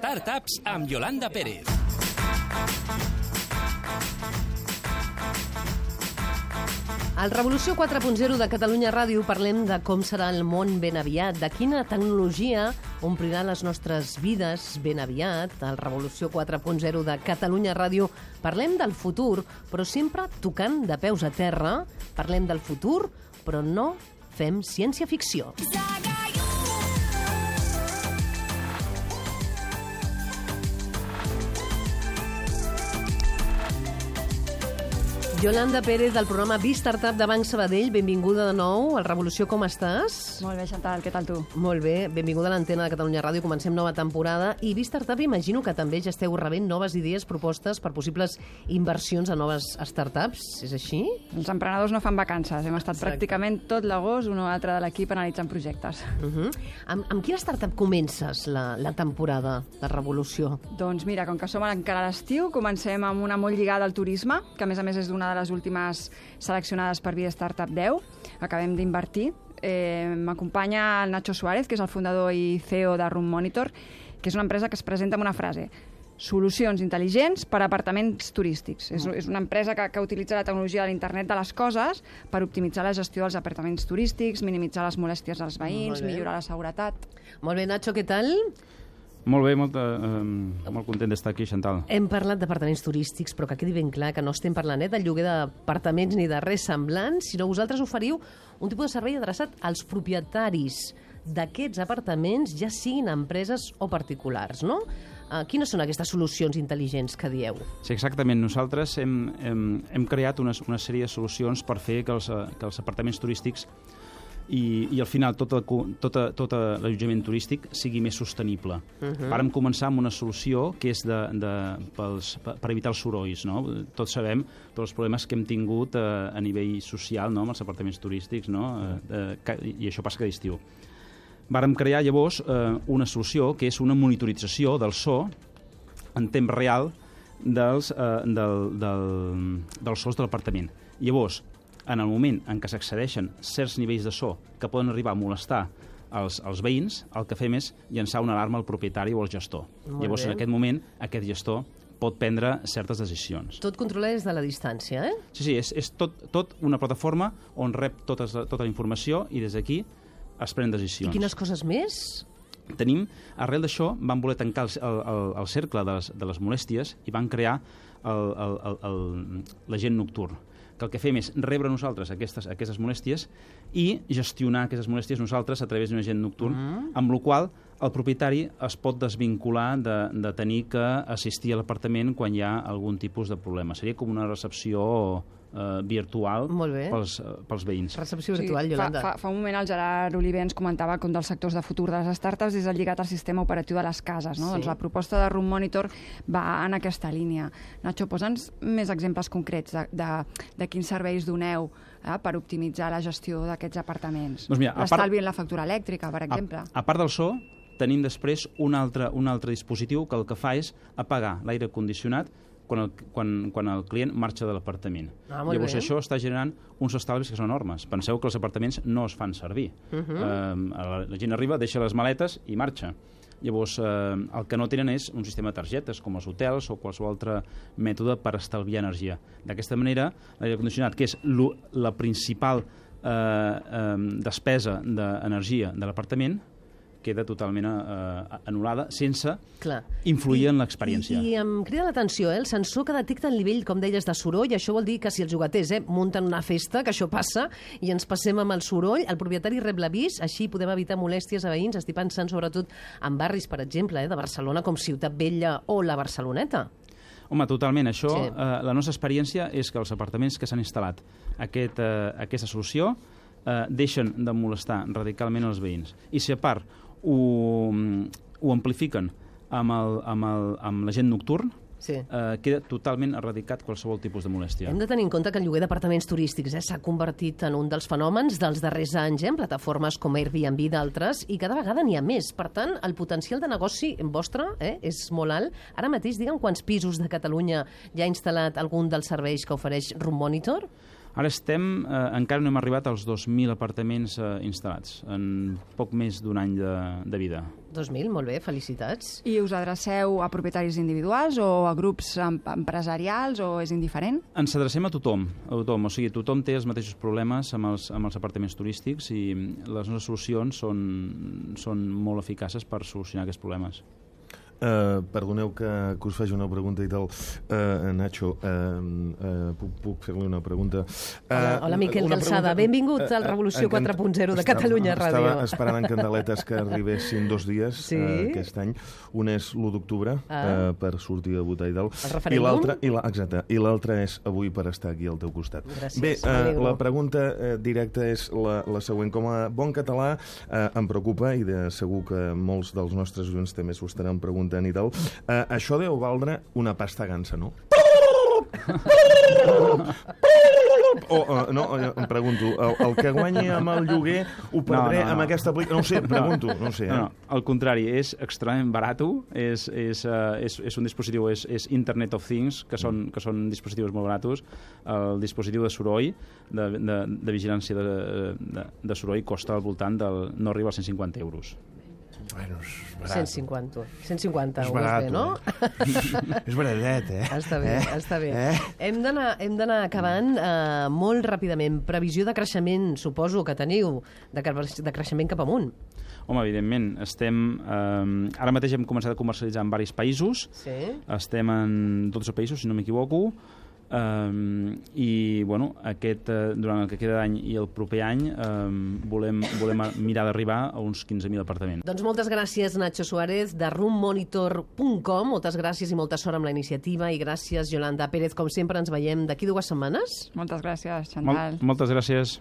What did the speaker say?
Startups amb Yolanda Pérez. Al Revolució 4.0 de Catalunya Ràdio parlem de com serà el món ben aviat, de quina tecnologia omplirà les nostres vides ben aviat. Al Revolució 4.0 de Catalunya Ràdio parlem del futur, però sempre tocant de peus a terra. Parlem del futur, però no fem ciència-ficció. Yolanda Pérez, del programa B-Startup de Banc Sabadell. Benvinguda de nou al Revolució. Com estàs? Molt bé, Chantal. Què tal tu? Molt bé. Benvinguda a l'antena de Catalunya Ràdio. Comencem nova temporada. I B-Startup, imagino que també ja esteu rebent noves idees, propostes per possibles inversions a noves startups. És així? Els emprenedors no fan vacances. Hem estat pràcticament tot l'agost, un o altre de l'equip, analitzant projectes. Amb quina startup comences la temporada de Revolució? Doncs mira, com que som encara a l'estiu, comencem amb una molt lligada al turisme, que a més és una de les últimes seleccionades per Via Startup 10. Acabem d'invertir. M'acompanya el Nacho Suárez, que és el fundador i CEO de Room Monitor, que és una empresa que es presenta amb una frase: solucions intel·ligents per a apartaments turístics. És una empresa que utilitza la tecnologia de l'internet de les coses per optimitzar la gestió dels apartaments turístics, minimitzar les molèsties dels veïns, millorar la seguretat. Molt bé, Nacho, què tal? Molt bé, molt content d'estar aquí, Chantal. Hem parlat d'apartaments turístics, però que quedi ben clar que no estem parlant de lloguer d'apartaments ni de res semblant, sinó vosaltres oferiu un tipus de servei adreçat als propietaris d'aquests apartaments, ja siguin empreses o particulars, no? Quines són aquestes solucions intel·ligents que dieu? Sí, exactament. Nosaltres hem creat una sèrie de solucions per fer que els apartaments turístics i al final tot l'allotjament turístic sigui més sostenible. Vàrem començar amb una solució que és per evitar els sorolls, no? Tots sabem tots els problemes que hem tingut a nivell social, no?, amb els apartaments turístics, no? I això passa cada estiu. Vàrem crear llavors una solució que és una monitorització del so en temps real dels sons de l'apartament. Llavors, en el moment en què s'accedeixen certs nivells de so que poden arribar a molestar els veïns, el que fem és llançar una alarma al propietari o al gestor. Llavors, en aquest moment, aquest gestor pot prendre certes decisions. Tot controlat des de la distància, eh? Sí, és tot una plataforma on rep tota la informació i des d'aquí es prenen decisions. I quines coses més? Tenim, arrel d'això, van voler tancar el cercle de les molèsties i van crear l'agent nocturn, que el que fem és rebre nosaltres aquestes molèsties i gestionar aquestes molèsties nosaltres a través d'un agent nocturn, amb la qual el propietari es pot desvincular de tenir que assistir a l'apartament quan hi ha algun tipus de problema. Seria com una recepció virtual pels veïns. Recepció virtual, Yolanda. Fa un moment el Gerard Oliver ens comentava que un dels sectors de futur de les startups és el lligat al sistema operatiu de les cases, no? Doncs la proposta de Room Monitor va en aquesta línia. Nacho, posa'ns més exemples concrets de quins serveis doneu per optimitzar la gestió d'aquests apartaments. Doncs mira, l'estalvi en la factura elèctrica, per exemple. A part del so, tenim després un altre dispositiu que el que fa és apagar l'aire condicionat quan el client marxa de l'apartament. Llavors això està generant uns estalvis que són enormes. Penseu que els apartaments no es fan servir. La gent arriba, deixa les maletes i marxa. Llavors el que no tenen és un sistema de targetes com els hotels o qualsevol altre mètode per estalviar energia. D'aquesta manera, l'aire condicionat, que és la principal despesa d'energia de l'apartament, queda totalment anul·lada sense influir en l'experiència. I em crida l'atenció, el sensor que detecta el nivell, com deies, de soroll. Això vol dir que si els jugaters munten una festa, que això passa, i ens passem amb el soroll, el propietari rep l'avís, així podem evitar molèsties a veïns. Estic pensant sobretot en barris, per exemple, de Barcelona, com Ciutat Vella o la Barceloneta. Home, totalment. Això, la nostra experiència és que els apartaments que s'han instal·lat aquesta solució deixen de molestar radicalment els veïns. I si a part ho amplifiquen amb l'agent nocturn, queda totalment erradicat qualsevol tipus de molèstia. Hem de tenir en compte que el lloguer d'apartaments turístics s'ha convertit en un dels fenòmens dels darrers anys, plataformes com Airbnb i d'altres, i cada vegada n'hi ha més. Per tant, el potencial de negoci vostre és molt alt. Ara mateix, digue'm quants pisos de Catalunya ja ha instal·lat algun dels serveis que ofereix Room Monitor? Ara encara no hem arribat als 2.000 apartaments instal·lats, en poc més d'un any de vida. 2.000, molt bé, felicitats. I us adreceu a propietaris individuals o a grups empresarials o és indiferent? Ens adrecem a tothom, o sigui, tothom té els mateixos problemes amb els apartaments turístics i les nostres solucions són molt eficaces per solucionar aquests problemes. Perdoneu que us faci una pregunta i tal. Nacho, puc fer-li una pregunta? Hola, Miquel Calçada. Benvingut al Revolució 4.0 de Catalunya Ràdio. Estava esperant en candeletes que arribessin 2 dies aquest any. Un és l'1 d'octubre per sortir a votar i tal. El referèndum? Exacte. I l'altre és avui per estar aquí al teu costat. Gràcies. Bé, la pregunta directa és la següent. Com a bon català em preocupa, i segur que molts dels nostres oients també s'ho estaran preguntant i tal, això deu valdre una pasta gansa, no? No, em pregunto, el que guanyi amb el lloguer ho perdré amb aquesta aplicació? No ho sé, pregunto, no ho sé. No, al contrari, és extremadament barat, és un dispositiu, és Internet of Things, que són dispositius molt barats. El dispositiu de soroll, de vigilància de soroll, costa al voltant no arriba als 150 euros. Bueno, és barat. 150 és barat, bé, no? És baratet, Està bé. Hem d'anar acabant molt ràpidament. Previsió de creixement, suposo que teniu, de creixement cap amunt. Home, evidentment, ara mateix hem començat a comercialitzar en diversos països. Sí. Estem en 12 països, si no m'equivoco. I bueno, durant el que queda d'any i el proper any volem mirar d'arribar a uns 15.000 apartaments. Doncs moltes gràcies, Nacho Suárez, de roommonitor.com. Moltes gràcies i molta sort amb la iniciativa. I gràcies, Yolanda Pérez. Com sempre, ens veiem d'aquí 2 setmanes. Moltes gràcies, Chantal. Moltes gràcies.